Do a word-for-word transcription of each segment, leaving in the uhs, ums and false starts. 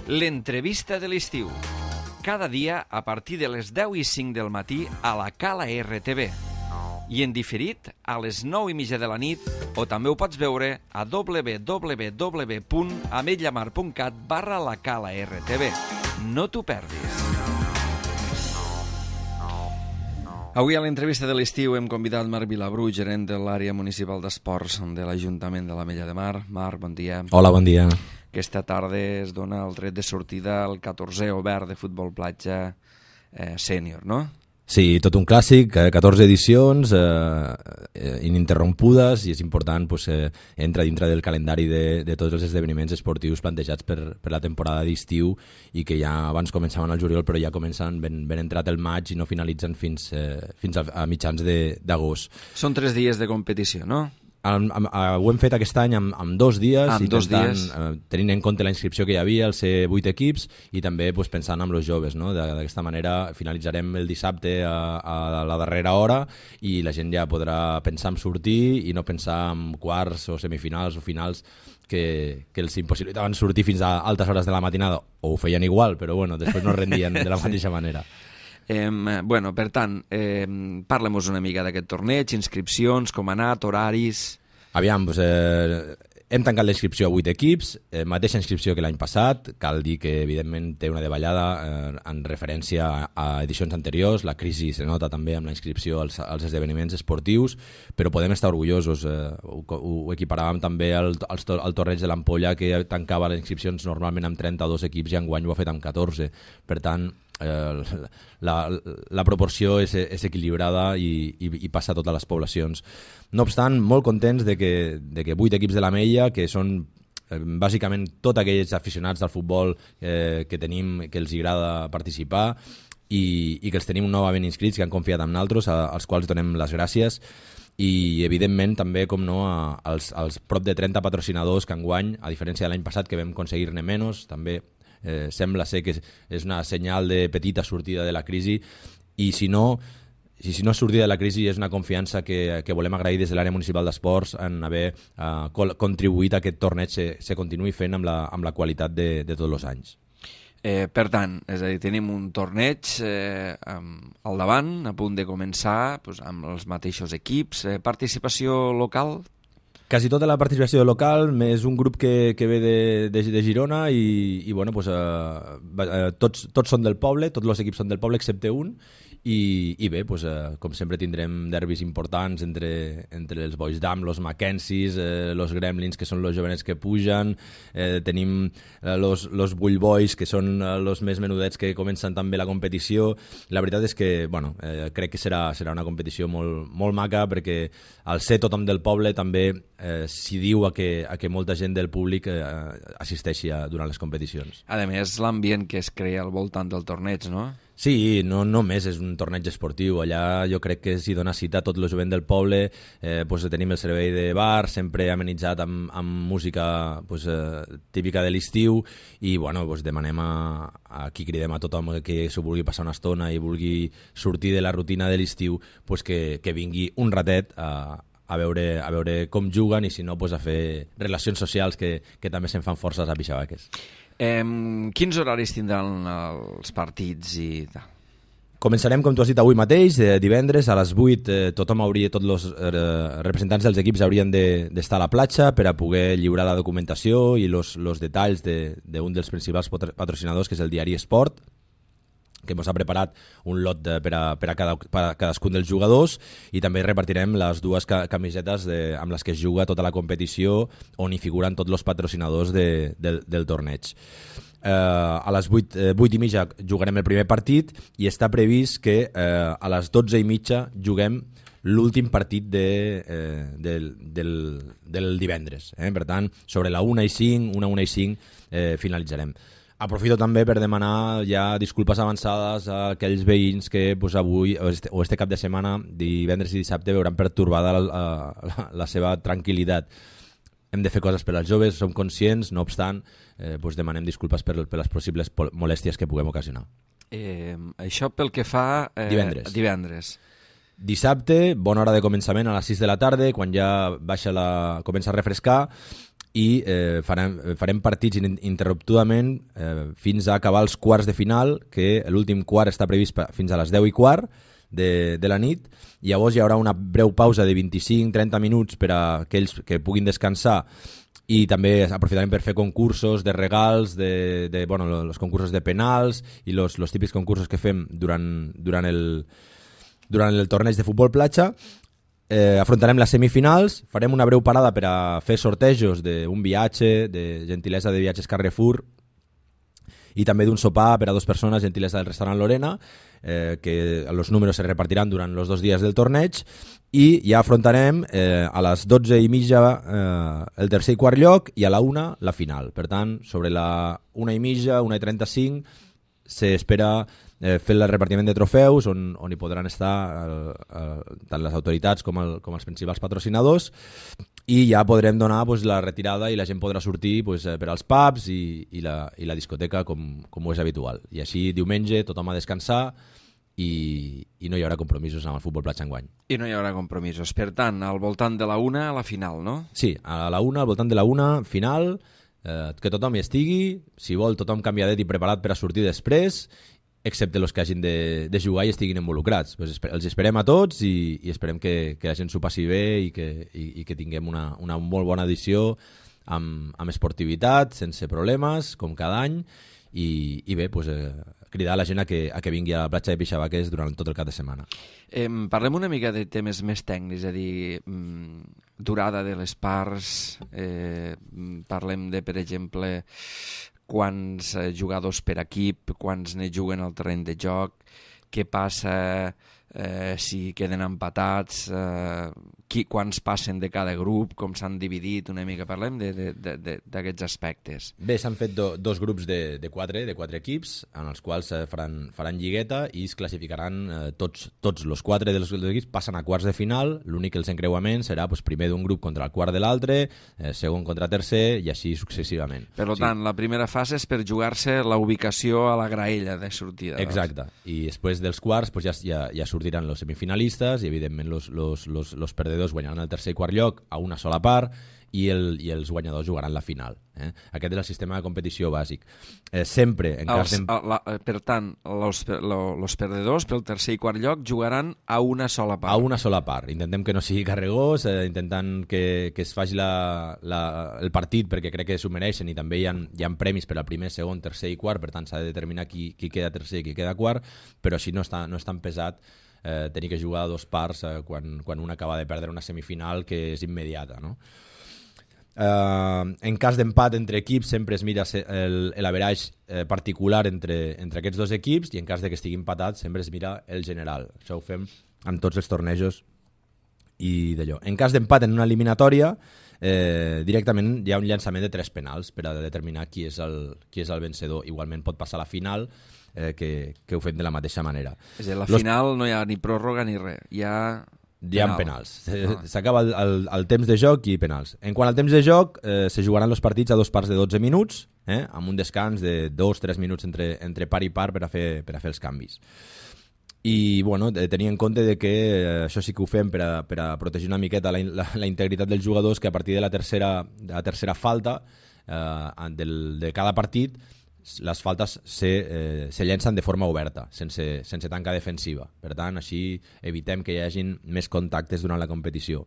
L'entrevista de l'estiu. Cada dia a partir de les deu i cinc del matí a la Cala R T V. I en diferit a les nou i mitja de la nit, o també ho pots veure a w w w punt ametlla mar punt cat barra la Cala R T V. No t'ho perdis. Avui a l'entrevista de l'estiu hem convidat Marc Vilabru, gerent de l'àrea municipal d'esports de l'Ajuntament de l'Ametlla de Mar. Marc, bon dia. Hola, bon dia. Aquesta tarda es dona el tret de sortida al catorzè obert de futbol platja eh, sènior, no? Sí, tot un clàssic, eh, catorze edicions eh, ininterrompudes, i és important, pues, eh, entra dintre del calendari de, de tots els esdeveniments esportius plantejats per, per la temporada d'estiu, i que ja abans començaven al juliol, però ja comencen ben, ben entrat el maig i no finalitzen fins, eh, fins a, a mitjans d'agost. Són tres dies de competició, no? Am, am, am, ho hem fet aquest any amb, amb dos dies, amb i dos tentant, dies. Eh, tenint en compte la inscripció que hi havia, el ser vuit equips, i també pues, pensant en els joves, no? D'aquesta manera finalitzarem el dissabte a, a la darrera hora, i la gent ja podrà pensar en sortir i no pensar en quarts o semifinals o finals que, que els impossibilitaven sortir fins a altes hores de la matinada, o ho feien igual, però bueno, després no rendien de la mateixa manera. Eh, bueno, per tant, eh, parlem-nos una mica d'aquest torneig, inscripcions, com ha anat, horaris... Aviam, doncs, eh, hem tancat la inscripció a vuit equips, eh, mateixa inscripció que l'any passat. Cal dir que, evidentment, té una davallada eh, en referència a, a edicions anteriors. La crisi se nota també amb la inscripció als, als esdeveniments esportius, però podem estar orgullosos. Eh, ho, ho equiparàvem també al, al, al torneig de l'Ampolla, que tancava les inscripcions normalment amb trenta-dos equips, i enguany ho ha fet amb catorze. Per tant, Eh, la, la proporció és, és equilibrada i, i, i passa a totes les poblacions. No obstant, molt contents de que, de que vuit equips de l'Ametlla, que són eh, bàsicament tots aquells aficionats al futbol eh, que tenim, que els agrada participar, i, i que els tenim novament inscrits, que han confiat en nosaltres, a, als quals donem les gràcies. I evidentment també, com no, a, als, als prop de trenta patrocinadors que enguany, a diferència de l'any passat que vam aconseguir-ne menys, també Eh, sembla ser que és, és una senyal de petita sortida de la crisi, i si no, si, si no és sortida de la crisi és una confiança que, que volem agrair des de l'àrea municipal d'esports en haver eh, col contribuït a que aquest torneig se, se continuï fent amb la, amb la qualitat de, de tots els anys. Eh, per tant, és a dir, tenim un torneig eh, al davant, a punt de començar, doncs, amb els mateixos equips. Eh, participació local? Quasi tota la participació local, més un grup que, que ve de, de, de Girona, i, i bueno, pues, eh, tots, tots són del poble, tots els equips són del poble excepte un, i, i bé, pues, eh, com sempre tindrem derbis importants entre, entre els Boys Dam, els Mackenzies, eh, els Gremlins, que són els jovenets que pugen, eh, tenim els eh, Bull Boys, que són els més menudets que comencen també la competició. La veritat és que bueno, eh, crec que serà, serà una competició molt, molt maca, perquè al ser tothom del poble també eh, s'hi diu a que, a que molta gent del públic eh, assisteixi a, durant les competicions. A més, l'ambient que es crea al voltant del torneig, no? Sí, no només és un torneig esportiu. Allà jo crec que s'hi dona cita a tot el jovent del poble. Eh, pues, tenim el servei de bar, sempre amenitzat amb, amb música pues, eh, típica de l'estiu, i bueno, pues, demanem a, a qui cridem a tothom que s'ho vulgui passar una estona i vulgui sortir de la rutina de l'estiu, pues, que, que vingui un ratet a, a, veure, a veure com juguen, i si no, pues, a fer relacions socials, que, que també se'n fan forces a Pixabaques. Eh, quins horaris tindran els partits i tal? Començarem, com tu has dit, avui mateix, eh, divendres a les vuit. Eh, tothom hauria, tots els eh, representants dels equips haurien d'estar de, a la platja per a poder lliurar la documentació i els detalls d'un de, de dels principals patrocinadors, que és el diari Esport, que ens ha preparat un lot de, per, a, per, a cada, per a cadascun dels jugadors, i també repartirem les dues ca camisetes de, amb les que es juga tota la competició, on hi figuren tots els patrocinadors de, del, del torneig. Eh, a les vuit, eh, vuit i mitja jugarem el primer partit, i està previst que eh, a les dotze i mitja juguem l'últim partit de, eh, del, del, del divendres. Eh? Per tant, sobre la una i cinc, una, una i cinc eh, finalitzarem. Aprofito també per demanar ja disculpes avançades a aquells veïns que pues, avui o este, o este cap de setmana, divendres i dissabte, veuran pertorbada la, la, la seva tranquil·litat. Hem de fer coses per als joves, som conscients, no obstant, eh, pues, demanem disculpes per, per les possibles molèsties que puguem ocasionar. Eh, això pel que fa... Eh, divendres. divendres. Dissabte, bona hora de començament a les sis de la tarda, quan ja baixa la, comença a refrescar, i eh, farem, farem partits interruptudament eh, fins a acabar els quarts de final, que l'últim quart està previst fins a les deu i quart de, de la nit, i llavors hi haurà una breu pausa de vint-i-cinc a trenta minuts per a aquells que puguin descansar, i també aprofitarem per fer concursos de regals, de, de, bueno, els concursos de penals i els típics concursos que fem durant, durant, el, durant el torneig de futbol platja. Eh, afrontarem les semifinals, farem una breu parada per a fer sortejos d'un viatge, de gentilesa de viatges Carrefour, i també d'un sopar per a dues persones, gentilesa del restaurant Lorena, eh, que els números se repartiran durant els dos dies del torneig, i ja afrontarem eh, a les dotze i mitja eh, el tercer i quart lloc, i a la una la final. Per tant, sobre la una i mitja, una i trenta-cinc, s'espera eh, fer el repartiment de trofeus, on, on hi podran estar eh, eh, tant les autoritats com, el, com els principals patrocinadors, i ja podrem donar pues, la retirada i la gent podrà sortir pues, per als pubs i, i, la, i la discoteca com, com ho és habitual. I així diumenge tothom a descansar i, i no hi haurà compromisos amb el futbol platja enguany. I no hi haurà compromisos. Per tant, al voltant de la una, a la final, no? Sí, a la una, al voltant de la una, final, eh, que tothom hi estigui, si vol tothom canviadet i preparat per a sortir després, excepte els que hagin de, de jugar i estiguin involucrats. Pues els esperem a tots i, i esperem que, que la gent s'ho passi bé i que, i, i que tinguem una, una molt bona edició amb, amb esportivitat, sense problemes, com cada any, i, i bé, pues, eh, cridar a la gent a que, a que vingui a la platja de Pixabaques durant tot el cap de setmana. Eh, parlem una mica de temes més tècnics, és a dir, mm, durada de les parts, eh, parlem de, per exemple, quants eh, jugadors per equip, quants ne juguen al terreny de joc, què passa eh, si queden empatats, eh, qui, quants passen de cada grup, com s'han dividit, una mica parlem d'aquests aspectes. Bé, s'han fet do, dos grups de, de, quatre, de quatre equips, en els quals eh, faran, faran lligueta i es classificaran eh, tots, tots els quatre dels, dels equips, passen a quarts de final, l'únic que els encreuaments serà pues, primer d'un grup contra el quart de l'altre, eh, segon contra tercer i així successivament. Per tant, sí. La primera fase és per jugar-se la ubicació a la graella de sortida. Exacte, doncs. I després dels quarts pues, ja, ja, ja sortiran els semifinalistes i evidentment els perdedors guanyaran el tercer i quart lloc a una sola part i, el, i els guanyadors jugaran la final. Eh? Aquest és el sistema de competició bàsic. Eh, sempre, en cas els, la, per tant, els perdedors pel tercer i quart lloc jugaran a una sola part. A una sola part. Intentem que no sigui carregós, eh, intentant que, que es faci la, la, el partit perquè crec que s'ho mereixen i també hi ha, hi ha premis per al primer, segon, tercer i quart, per tant s'ha de determinar qui, qui queda tercer i qui queda quart, però així no està, no és tan pesat eh, tenir que jugar a dos parts eh, quan, quan un acaba de perdre una semifinal que és immediata, no? Uh, en cas d'empat entre equips sempre es mira l'average eh, particular entre, entre aquests dos equips i en cas de que estigui empatat sempre es mira el general. Això ho fem amb tots els tornejos i d'allò. En cas d'empat en una eliminatòria eh, directament hi ha un llançament de tres penals per a determinar qui és el, qui és el vencedor. Igualment pot passar a la final eh, que, que ho fem de la mateixa manera. És a dir, a la Los... final no hi ha ni pròrroga ni res, hi ha... Hi ha penals. S'acaba el, el, el temps de joc i penals. En quant al temps de joc, eh, se jugaran els partits a dos parts de dotze minuts, eh, amb un descans de dos a tres minuts entre, entre part i part per a fer, per a fer els canvis. I bueno, tenir en compte de que eh, això sí que ho fem per a, per a protegir una miqueta la, la, la integritat dels jugadors, que a partir de la tercera, de la tercera falta eh, del, de cada partit les faltes se, eh, se llencen de forma oberta, sense, sense tanca defensiva. Per tant, així evitem que hi hagin més contactes durant la competició.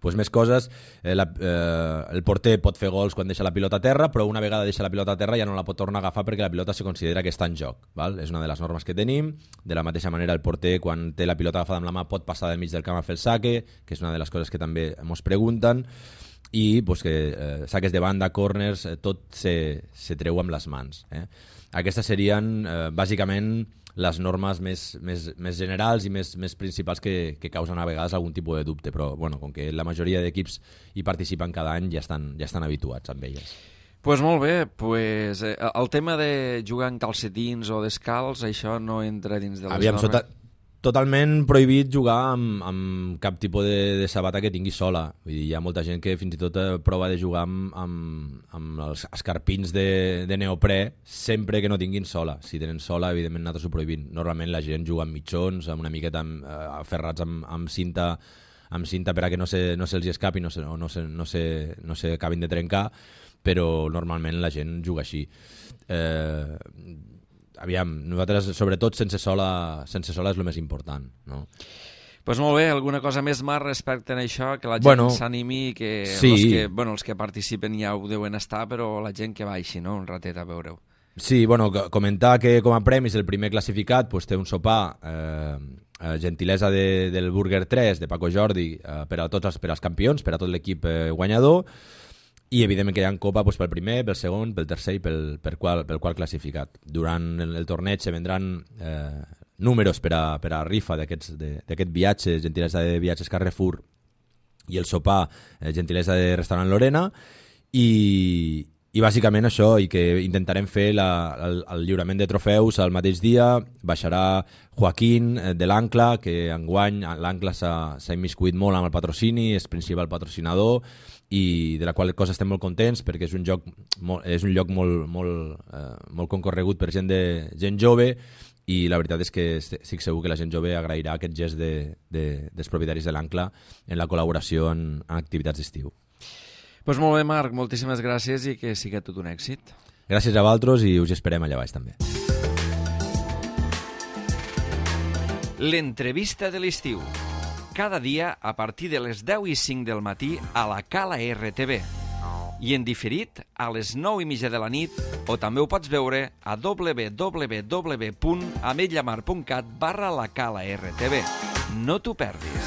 Pues més coses, eh, la, eh, el porter pot fer gols quan deixa la pilota a terra, però una vegada deixa la pilota a terra ja no la pot tornar a agafar perquè la pilota se considera que està en joc. Val? És una de les normes que tenim. De la mateixa manera, el porter, quan té la pilota agafada amb la mà, pot passar del mig del camp a fer el saque, que és una de les coses que també ens pregunten. I pues, que eh, saques de banda, corners, eh, tot se, se treu amb les mans. Eh? Aquestes serien eh, bàsicament les normes més, més, més generals i més, més principals que, que causen a vegades algun tipus de dubte, però bueno, com que la majoria d'equips hi participen cada any ja estan, ja estan habituats amb elles. Pues molt bé, pues, eh, el tema de jugar en calcetins o descalç, això no entra dins de les Aviam, normes? Sota... Totalment prohibit jugar amb, amb cap tipus de, de sabata que tingui sola. Vull dir, hi ha molta gent que fins i tot prova de jugar amb, amb, amb els escarpins de, de neoprè sempre que no tinguin sola. Si tenen sola, evidentment nosaltres ho prohibim. Normalment la gent juga amb mitjons, amb una miqueta amb, eh, aferrats amb, amb cinta amb cinta per a que no se, no se'ls escapi, no se, no, se, no, se, no se acabin de trencar, però normalment la gent juga així. Eh, aviam, nosaltres, sobretot, sense sola, sense sola és el més important, no? Pues molt bé, alguna cosa més, Marc, respecte a això, que la gent bueno, s'animi, que, sí. els que bueno, els que participen ja ho deuen estar, però la gent que baixi, no?, un ratet a veure-ho. Sí, bueno, comentar que com a premis el primer classificat pues, té un sopar, eh, gentilesa de, del Burger tres, de Paco Jordi, eh, per a tots els, per als campions, per a tot l'equip eh, guanyador, i evidentment que hi ha copa pues, pel primer, pel segon, pel tercer i pel, pel, qual, pel qual classificat. Durant el, el torneig se vendran eh, números per a, per a rifa d'aquest viatge, gentilesa de viatges Carrefour, i el sopar, eh, gentilesa de restaurant Lorena, i, i bàsicament això, i que intentarem fer la, el, el lliurament de trofeus al mateix dia. Baixarà Joaquín eh, de l'Ancla, que enguany l'Ancla s'ha immiscuït molt amb el patrocini, és principal patrocinador, i de la qual cosa estem molt contents perquè és un lloc molt, és un lloc molt, molt, eh, molt concorregut per gent, de, gent jove, i la veritat és que estic segur que la gent jove agrairà aquest gest de, de, dels propietaris de l'Ancla en la col·laboració en, en activitats d'estiu. Pues molt bé, Marc, moltíssimes gràcies i que sigui tot un èxit. Gràcies a vosaltres i us esperem allà baix també. L'entrevista de l'estiu. Cada dia a partir de les deu i cinc del matí a la Cala R T V. I en diferit a les nou i mitja de la nit, o també ho pots veure a w w w punt ametlla mar punt cat barra la Cala R T V. No t'ho perdis.